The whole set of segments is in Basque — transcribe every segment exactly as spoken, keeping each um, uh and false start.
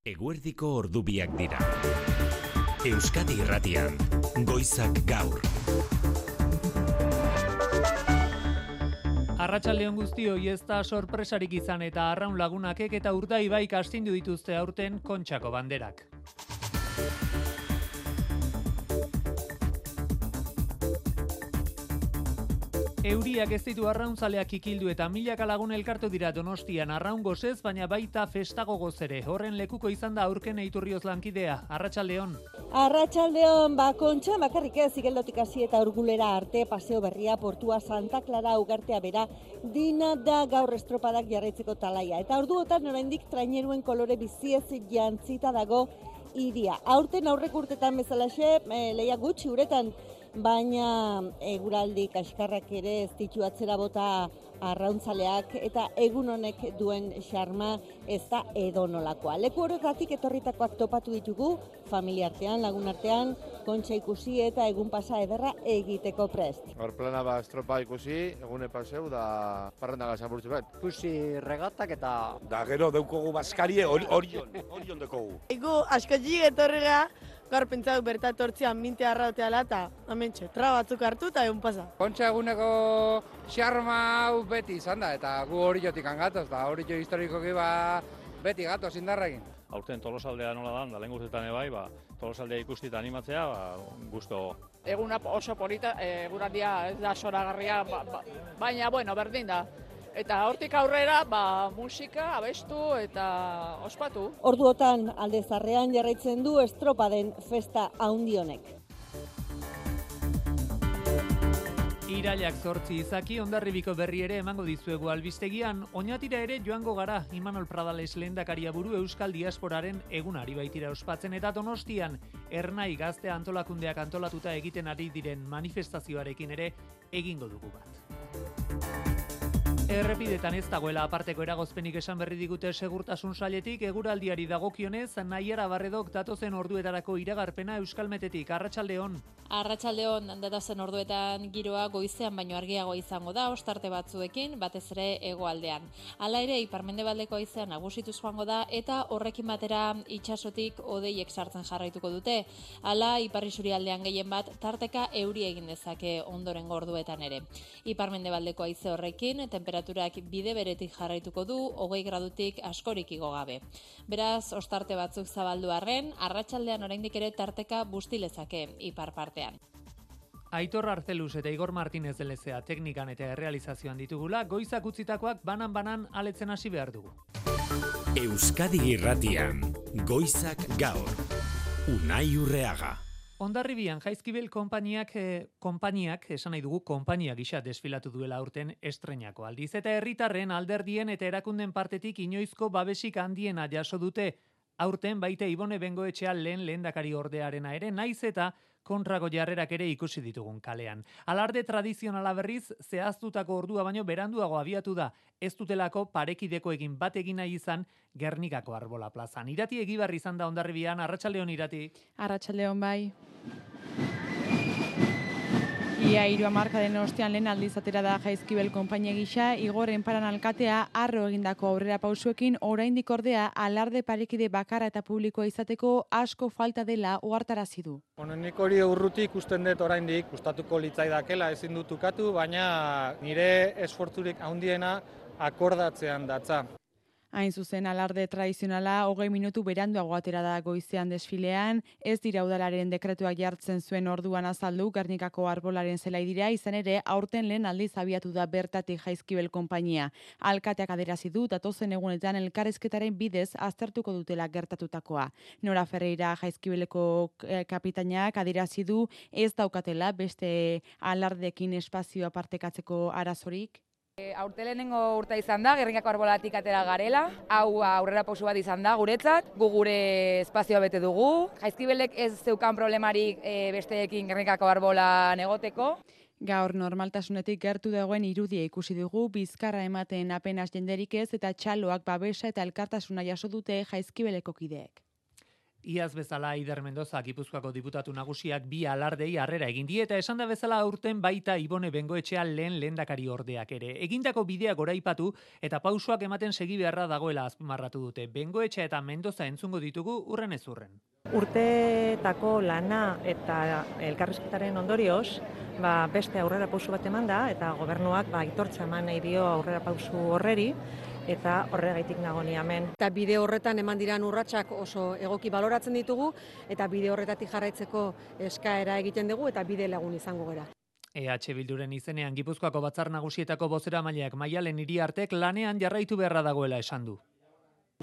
Eguerdiko ordubiak dira. Euskadi Irratian, Goizak Gaur. Arratsaldeon guztioi, ez da sorpresarik izan eta Arraun Lagunakek eta Urdaibaik astindu dituzte aurten Kontxako banderak. Euriak ez ditu arrauntzaleak ikildu eta milaka lagun elkartu dira Donostian arraun gozez, baina baita festago gozere. Horren lekuko izan da Aurken Eiturrioz lankidea. Arratsaldeon. Arratsaldeon, ba Kontxa bakarrik ez, Igeldotik hasi eta Urgulera arte, Paseo Berria, Portua, Santa Clara, Ugartea bera, dina da gaur estropadak jarraitzeko talaia. Eta orduotan oraindik traineruen kolore biziez jantzita dago hiria. Aurten aurrek urtetan bezalaxe, e, leia gutxi uretan, baina eguraldi kaskarrak ere ez ditu atzera bota arrauntzaleak eta egun honek duen xarma ez da edonolakoa. Leku horretatik etorritakoak topatu ditugu, familia artean, lagun artean, Kontxa ikusi eta egun pasa ederra egiteko prest. Hor plana ba estropa ikusi, egune paseu da parrandaga zaburtzu bat. Ikusi regatak eta... Da gero deukogu baskarie orion, orion dekogu. Ego askotxik etorrega, gaur pentsatu bertatortzean minte arrauteala eta amentxe, tra batzuk hartu eta egun pasa. Kontxa eguneko xarma hau beti izan da, eta gu oriotik angatoz, eta orio historikoki ba beti gatoz indarrekin. Aurten Tolosaldea nola dan, da lehen guztetan ebai, ba, Tolosaldea ikusti eta animatzea, ba, gusto. Eguna oso polita, eguraldia ez da soragarria, ba, ba, baina, bueno, berdin da. Eta hortik aurrera, ba, musika, abestu eta ospatu. Orduotan alde zarrean jarraitzen du estropaden festa haundi honek. Irailak zortzi izaki, Hondarribiko berri ere emango dizuegu albistegian, Oñatira ere joango gara, Imanol Pradales lehendakaria buru Euskal Diasporaren egunari baitira ospatzen eta Donostian, Ernai gazte antolakundeak antolatuta egiten ari diren manifestazioarekin ere egingo dugu bat. Errepidetan ez dagoela aparteko eragozpenik esan berri digute segurtasun sailetik, eguraldiari dagokionez, Naiara Barredok datozen orduetarako iragarpena Euskalmetetik. Arratsaldeon. Arratsaldeon, datozen orduetan giroa goizean baino argiago izango da, ostarte batzuekin, batez ere hegoaldean. Hala ere, iparmendebaldeko haizean nagusituz joango da eta horrekin batera itsasotik hodeiek sartzen jarraituko dute. Hala, ipar isurialdean gehien bat tarteka euri egin dezake ondorengo orduetan ere. Iparmendebaldeko haize horrekin temperaturak bide beretik jarraituko du, hogei gradutik askorik igo gabe. Beraz, ostarte batzuk zabaldu arren, arratsaldean oraindik ere tarteka bustilezake ipar partean. Aitor Arzeluz eta Igor Martinez delezea teknikan eta errealizazioan ditugula, goizak utzitakoak banan-banan aletzen hasi behar dugu. Euskadi Irratian, Goizak Gaur. Unai Urreaga. Hondarribian Jaizkibel konpainiak, eh, konpainiak, esan nahi dugu, konpainia gisa desfilatu duela aurten estreinako aldiz. Eta herritarren alderdien eta erakunden partetik inoizko babesik handiena jaso dute. Aurten baita Ibone Bengoetxea lehen lehendakari ordearena ere, naiz eta kontrako jarrerak ere ikusi ditugun kalean. Alarde tradizionala berriz, zehaztutako ordua baino beranduago abiatu da, ez dutelako parekideko egin bat egin nahi izan Gernikako Arbola plazan. Irati Egibarri izan da Hondarribian, arratsaldeon Irati. Arratsaldeon bai. Ia hiru hamarkadaren ostean lehen aldiz atera da Jaizkibel konpainia gisa, Igor Enparan alkatea harro egindako aurrera pausuekin oraindik ordea alarde parekide bakarra eta publikoa izateko asko falta dela ohartarazi du. Bueno, nik hori urruti ikusten dut oraindik, gustatuko litzaidakela ezin dut ukatu, baina nire esfortzurik handiena akordatzean datza. Hain zuzen alarde tradizionala hogei minutu beranduago atera da goizean desfilean, ez dira udalaren dekretuak jartzen zuen orduan azaldu Gernikako Arbolaren zelai dira, izan ere aurten lehen aldiz abiatu da bertatik Jaizkibel konpainia. Alkateak adierazi du datozen egunetan elkarrizketaren bidez aztertuko dutela gertatutakoa. Nora Ferreira Jaizkibeleko kapitainak adierazi du ez daukatela beste alardekin espazioa partekatzeko arazorik. Aurte lehenengo urta izan da, Gernikako Arbolatik atera garela, hau aurrera pausu bat izan da guretzat, gu gure espazioa bete dugu, Jaizkibelek ez zeukan problemarik e, besteekin Gernikako Arbolan egoteko. Gaur normaltasunetik gertu dagoen irudia ikusi dugu, bizkarra ematen apenas jenderik ez eta txaloak babesa eta elkartasuna jaso dute Jaizkibeleko kideek. Iaz bezala Aider Mendoza Gipuzkoako diputatu nagusiak bi alardei harrera egin die eta esan da bezala aurten baita Ibone Bengoetxea lehen lehendakari ordeak ere. Egindako bidea goraipatu eta pausoak ematen segi beharra dagoela azpimarratu dute. Bengoetxea eta Mendoza entzungo ditugu urren ez urren. Urteetako lana eta elkarrizketaren ondorioz, ba, beste aurrera pausu bat eman da eta gobernuak ba, aitortza eman nahi dio aurrera pausu horreri. Eta horregaitik nago ni hemen. Eta bide horretan eman diran urratsak oso egoki baloratzen ditugu eta bide horretatik jarraitzeko eskaera egiten dugu eta bide lagun izango gara. E H Bilduren izenean Gipuzkoako Batzar Nagusietako bozeramaileak Maialen Iriartek lanean jarraitu beharra dagoela esan du.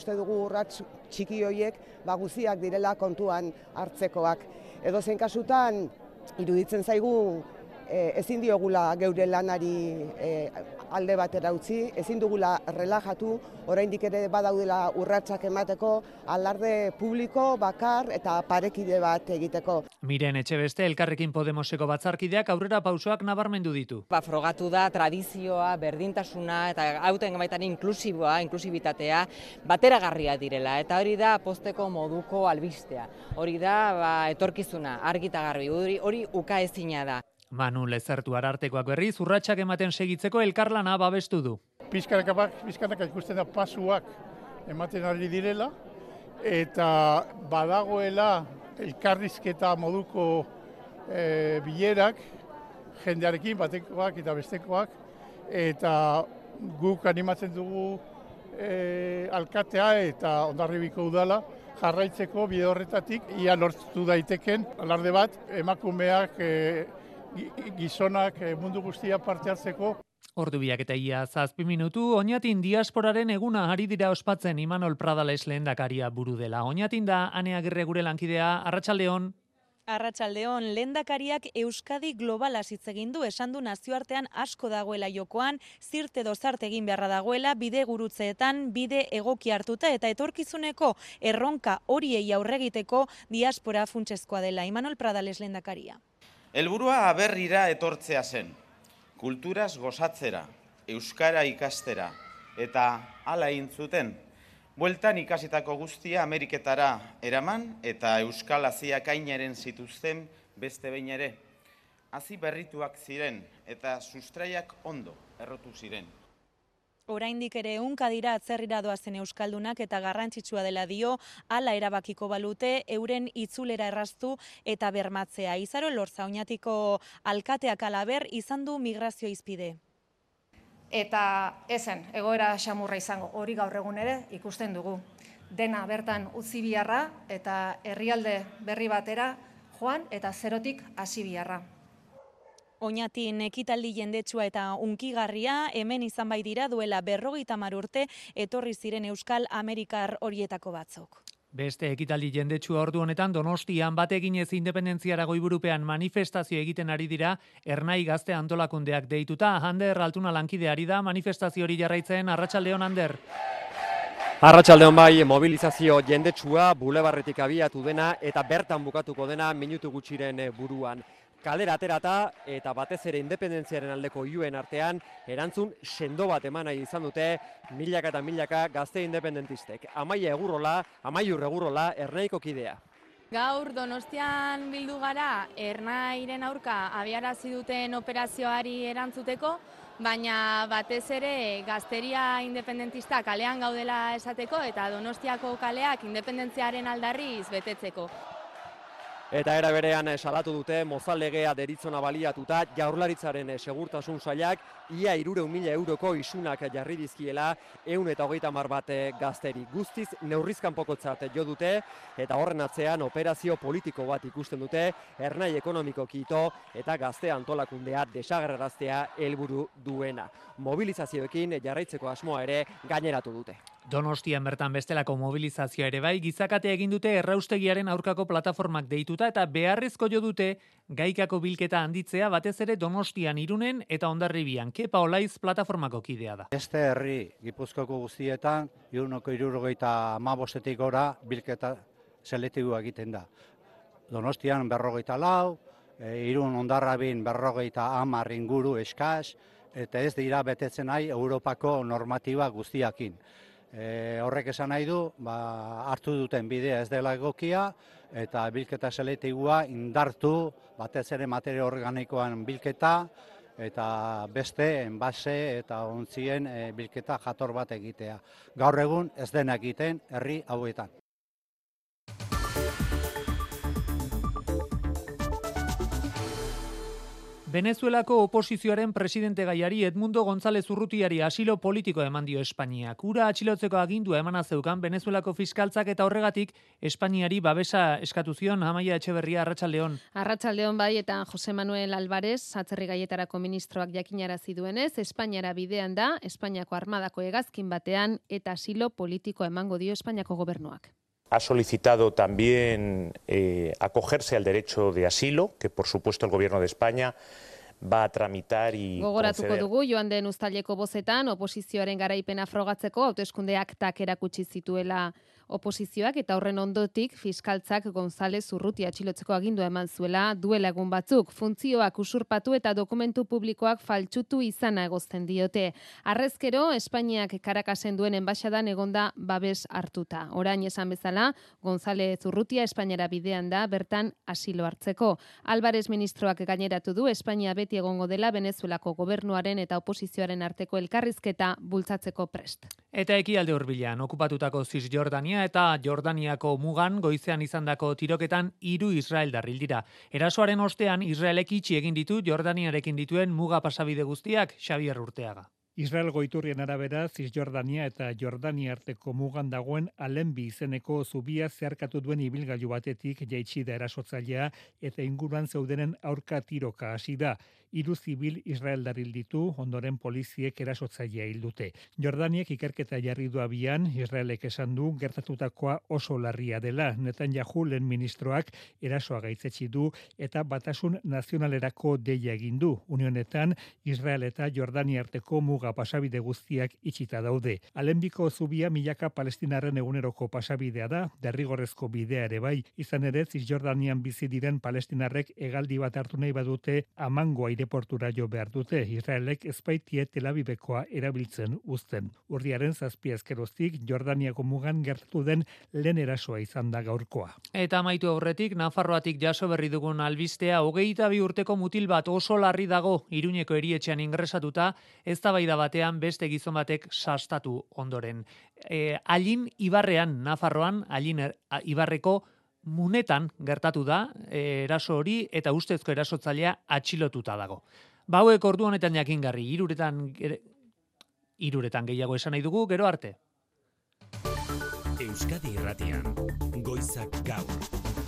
Uste dugu urrats txiki horiek ba guztiak direla kontuan hartzekoak. Edozein kasutan iruditzen zaigu e, ezin diogula geure lanari e, alde batera utzi, ezin dugula relajatu, oraindik ere badaudela urratsak emateko, alarde publiko, bakar eta parekide bat egiteko. Miren Etxebeste Elkarrekin Podemoseko batzarkideak aurrera pausoak nabarmendu ditu. Ba, frogatu da tradizioa, berdintasuna eta hauten baitan inklusiboa, inklusibitatea bateragarria direla eta hori da posteko moduko albistea. Hori da ba, etorkizuna, argi eta garbi, hori, hori ukaezina da. Manu Lezertu Arartekoak berriz urratsak ematen segitzeko elkarlana babestu du. Pizkanaka, pizkanaka ikusten da pasuak ematen ari direla eta badagoela elkarrizketa moduko e, bilerak jendearekin batekoak eta bestekoak eta guk animatzen dugu e, alkatea eta Hondarribiko udala jarraitzeko bide horretatik ia lortu daiteken alarde bat emakumeak e, gizonak mundu guztia parte hartzeko. Ordu biak eta ia zazpi minutu, Oñatin diasporaren eguna ari dira ospatzen Imanol Pradales lehendakaria buru dela. Oñatin da Ane Agirre gure lankidea, Arratsaldeon. Arratsaldeon, lehendakariak Euskadi globala hitz egin du, esan du nazioartean asko dagoela jokoan, zirte dozarte egin beharra dagoela, bide gurutzeetan, bide egoki hartuta eta etorkizuneko erronka horiei aurregiteko diaspora funtsezkoa dela. Imanol Pradales lehendakaria. Helburua aberrira etortzea zen, kulturaz gozatzera, euskara ikastera, eta hala egin zuten, bueltan ikasitako guztia Ameriketara eraman eta euskal haziak ainaren zituzten beste behin ere. Hazi berrituak ziren eta sustraiak ondo errotu ziren. Oraindik ere ehunka dira atzerrira doazen euskaldunak eta garrantzitsua dela dio, hala erabakiko balute euren itzulera erraztu eta bermatzea. Izaro Elorza Oñatiko alkateak halaber izan du migrazio izpide. Eta ezen, egoera xamurra izango, hori gaur egun ere ikusten dugu. Dena bertan utzi biharra eta herrialde berri batera joan eta zerotik hasi biharra. Oñatin ekitaldi jendetsua eta unkigarria hemen izan bai dira duela berrogeita hamar urte etorri ziren Euskal Amerikar horietako batzuk. Beste ekitaldi jendetsua ordu honetan Donostian bateginez independentziara goiburupean manifestazio egiten ari dira Ernai Gazte antolakundeak deituta. Ander Altuna lankideari da manifestazio hori jarraitzen. Arratsaldeon Ander. Arratsaldeon bai, mobilizazio jendetsua bulebarretik abiatu dena eta bertan bukatuko dena minutu gutxiren buruan. Kalera aterata eta batez ere independentziaren aldeko iuen artean erantzun sendo bat eman nahi izan dute milaka eta milaka gazte independentistek. Amaia Egurrola, Amaiur Egurrola, Ernaiko kidea. Gaur Donostian bildu gara Ernairen aurka abiarazi duten operazioari erantzuteko, baina batez ere gazteria independentista kalean gaudela esateko eta Donostiako kaleak independentziaren aldarriz betetzeko. Eta era berean salatu dute mozallegea deritzona baliatuta Jaurlaritzaren segurtasun sailak ia hirurehun mila euroko isunak jarri dizkiela ehun eta hogeita hamar bat gazteri. Guztiz neurrizkanpokotzat jo dute eta horren atzean operazio politiko bat ikusten dute Ernai ekonomikoki ito eta gazte antolakundea desagerraraztea helburu duena. Mobilizazioekin jarraitzeko asmoa ere gaineratu dute. Donostian bertan bestelako mobilizazioa ere bai, gizakate egin dute erraustegiaren aurkako plataformak deituta eta beharrezko jo dute gaikako bilketa handitzea batez ere Donostian, Irunen eta Hondarribian. Kepa Olaiz plataformako kidea da. Beste herri Gipuzkoako guztietan ehuneko hirurogeita hamabostetik gora bilketa selektiboa egiten da. Donostian berrogeita lau, Irun Hondarribin berrogeita hamar inguru eskas, eta ez dira betetzen nahi Europako normatiba guztiakin. E, horrek esan nahi du, ba, hartu duten bidea ez dela egokia, eta bilketa selektiboa indartu, batez ere materia organikoan bilketa, eta beste enbase eta ontzien e, bilketa jator bat egitea. Gaur egun ez dena egiten herri hauetan. Venezuelako oposizioaren presidente gaiari Edmundo González Urrutiari asilo politiko eman dio Espainiak. Ura atxilotzeko agindua emana zeukan Venezuelako fiskaltzak eta horregatik Espainiari babesa eskatu zion. Amaia Etxeberria, Arratsaldeon. Arratsaldeon bai, eta Jose Manuel Álvarez, atzerri gaietarako ministroak jakinarazi duenez, Espainiara bidean da, Espainiako armadako hegazkin batean eta asilo politiko emango dio Espainiako gobernuak. Ha solicitado también eh, acogerse al derecho de asilo, que por supuesto el Gobierno de España va a tramitar y Gogoratuko conceder. dugu, joan den uztaileko bozetan, oposizioaren garaipena frogatzeko hauteskunde aktak erakutsi zituela oposizioak, eta horren ondotik fiskaltzak González Urrutia atxilotzeko agindua eman zuela duela egun batzuk. Funtzioak usurpatu eta dokumentu publikoak faltsutu izana egozten diote. Harrezkero, Espainiak Karakasen duen enbaxadan egonda babes hartuta. Orain esan bezala, González Urrutia Espainiara bidean da bertan asilo hartzeko. Álvarez ministroak gaineratu du Espainia beti egongo dela Venezuelako gobernuaren eta oposizioaren arteko elkarrizketa bultzatzeko prest. Eta ekialde hurbilean okupatutako Cisjordania eta Jordaniako mugan goizean izandako tiroketan hiru israeldar hil dira. Erasoaren ostean Israelek itxi egin ditu Jordaniarekin dituen muga pasabide guztiak. Xabier Urteaga. Israel goiturrien arabera, Cisjordania eta Jordania arteko mugan dagoen Alenbi izeneko zubia zeharkatu duen ibilgailu batetik jaitsi da erasotzailea eta inguruan zeudenen aurka tiroka hasi da. Hiru zibil israeldar hil ditu, ondoren poliziek erasotzailea hil dute. Jordaniek ikerketa jarri du abian, Israelek esan du gertatutakoa oso larria dela. Netanyahu lehen ministroak erasoa gaitzetsi du eta batasun nazionalerako deia egin du. Unionetan, Israel eta Jordania arteko muga pasabide guztiak itxita daude. Alenbiko zubia milaka palestinarren eguneroko pasabidea da, derrigorrezko bidea ere bai. Izan ere, Cisjordanian bizi diren palestinarrek hegaldi bat hartu nahi badute amango aireportura jo behar dute. Israelek ezbaitie Tel Avivekoa erabiltzen uzten. Urriaren zazpi azkeroztik Jordaniako mugan gertatu den lehen erasoa izan da gaurkoa. Eta amaitu aurretik, Nafarroatik jaso berri dugun albistea, hogeita bi urteko mutil bat oso larri dago Iruñeko erietxean ingresatuta, eztabaida batean beste gizon batek sastatu ondoren. E, Allin Ibarrean, Nafarroan, Allin er, Ibarreko munetan gertatu da e, eraso hori eta ustezko erasotzailea atxilotuta dago. Bauek ordu honetan jakingarri, hiruretan hiruretan gehiago esan nahi dugu, gero arte. Euskadi Irratian, Goizak Gaur.